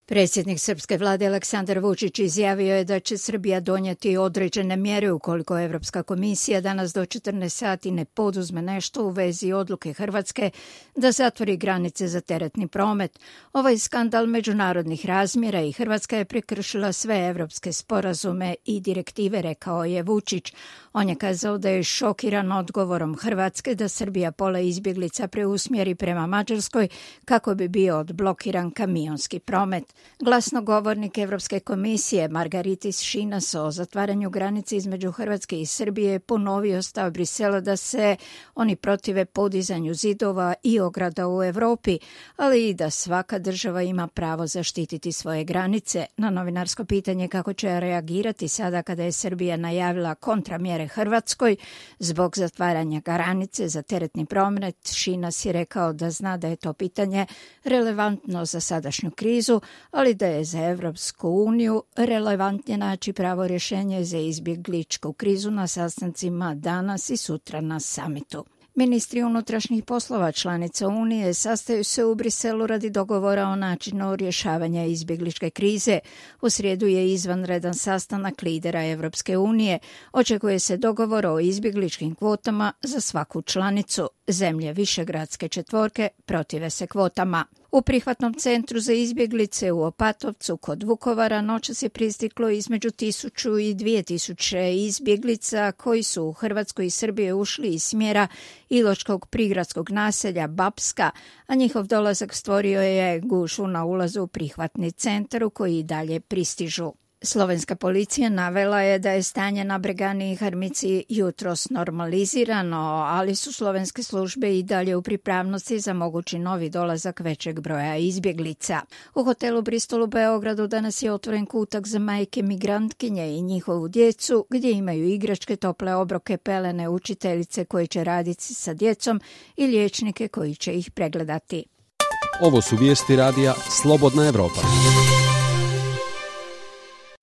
Predsjednik srpske vlade Aleksandar Vučić izjavio je da će Srbija donijeti određene mjere ukoliko Evropska komisija danas do 14 sati ne poduzme nešto u vezi odluke Hrvatske da zatvori granice za teretni promet. Ovaj skandal međunarodnih razmjera i Hrvatska je prekršila sve evropske sporazume i direktive, rekao je Vučić. On je kazao da je šokiran odgovorom Hrvatske da Srbija pola izbjeglica preusmjeri prema Mađarskoj kako bi bio odblokiran kamionski promet. Glasnogovornik Evropske komisije Margaritis Šinas o zatvaranju granice između Hrvatske i Srbije ponovio stav Brisela da se oni protive podizanju zidova i ograda u Evropi, ali i da svaka država ima pravo zaštititi svoje granice. Na novinarsko pitanje kako će reagirati sada kada je Srbija najavila kontramjere Hrvatskoj zbog zatvaranja granice za teretni promet, Šinas je rekao da zna da je to pitanje relevantno za sadašnju krizu, ali da je za Evropsku uniju relevantnije naći pravo rješenje za izbjegličku krizu na sastancima danas i sutra na samitu. Ministri unutrašnjih poslova članica Unije sastaju se u Briselu radi dogovora o načinu rješavanja izbjegličke krize. U srijedu je izvanredan sastanak lidera Evropske unije. Očekuje se dogovor o izbjegličkim kvotama za svaku članicu. Zemlje Višegradske četvorke protive se kvotama. U prihvatnom centru za izbjeglice u Opatovcu kod Vukovara noćas je pristiglo između 1000 i 2000 izbjeglica koji su u Hrvatsku i Srbije ušli iz smjera iločkog prigradskog naselja Bapska, a njihov dolazak stvorio je gužvu na ulazu u prihvatni centar u koji i dalje pristižu. Slovenska policija navela je da je stanje na Bregani i Harmici jutros normalizirano, ali su slovenske službe i dalje u pripravnosti za mogući novi dolazak većeg broja izbjeglica. U hotelu Bristol u Beogradu danas je otvoren kutak za majke migrantkinje i njihovu djecu, gdje imaju igračke, tople obroke, pelene, učiteljice koji će raditi sa djecom i liječnike koji će ih pregledati. Ovo su vijesti radija Slobodna Evropa.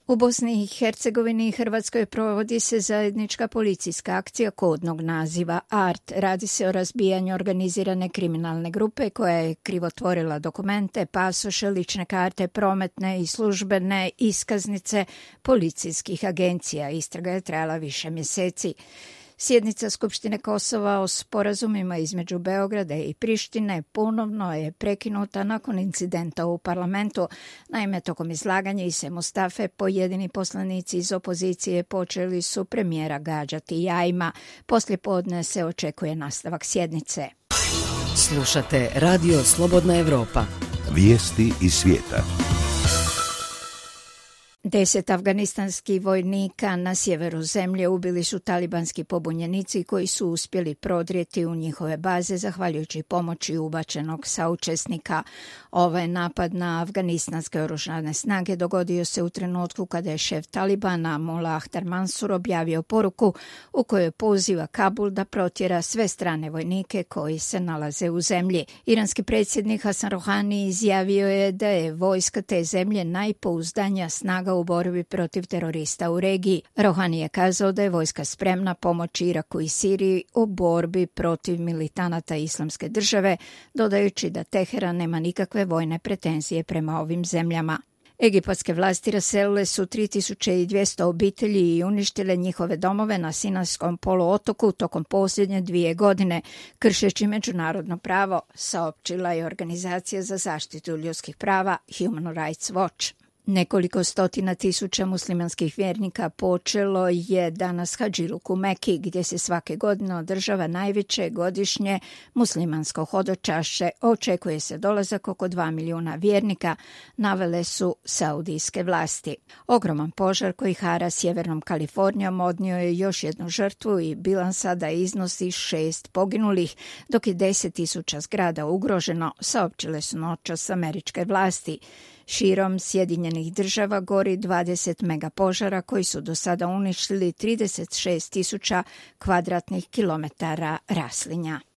U Bosni i Hercegovini i Hrvatskoj provodi se zajednička policijska akcija kodnog naziva ART. Radi se o razbijanju organizirane kriminalne grupe koja je krivotvorila dokumente, pasoše, lične karte, prometne i službene iskaznice policijskih agencija. Istraga je trajala više mjeseci. Sjednica Skupštine Kosova o sporazumima između Beograda i Prištine ponovno je prekinuta nakon incidenta u parlamentu. Naime, tokom izlaganja Ise Mustafe pojedini poslanici iz opozicije počeli su premijera gađati jajima. Poslijepodne se očekuje nastavak sjednice. Slušate Radio Slobodna Evropa. Vijesti iz svijeta. 10 afganistanskih vojnika na sjeveru zemlje ubili su talibanski pobunjenici koji su uspjeli prodrijeti u njihove baze zahvaljujući pomoći ubačenog saučesnika. Ovaj napad na afganistanske oružane snage dogodio se u trenutku kada je šef Talibana Mullah Akhtar Mansur objavio poruku u kojoj poziva Kabul da protjera sve strane vojnike koji se nalaze u zemlji. Iranski predsjednik Hasan Rohani izjavio je da je vojska te zemlje najpouzdanija snaga u borbi protiv terorista u regiji. Rohani je kazao da je vojska spremna pomoći Iraku i Siriji u borbi protiv militanata Islamske države, dodajući da Teheran nema nikakve vojne pretenzije prema ovim zemljama. Egipatske vlasti raselile su 3200 obitelji i uništile njihove domove na Sinajskom poluotoku tokom posljednje 2 godine, kršeći međunarodno pravo, saopćila je organizacija za zaštitu ljudskih prava Human Rights Watch. Nekoliko stotina tisuća muslimanskih vjernika počelo je danas hadžiluk u Meki, gdje se svake godine održava najveće godišnje muslimansko hodočašće. Očekuje se dolazak oko 2 milijuna vjernika, navele su saudijske vlasti. Ogroman požar koji hara sjevernom Kalifornijom odnio je još jednu žrtvu i bilans sada iznosi 6 poginulih, dok je 10.000 zgrada ugroženo, saopćile su noćas američke vlasti. Širom Sjedinjenih država gori 20 megapožara koji su do sada uništili 36.000 kvadratnih kilometara raslinja.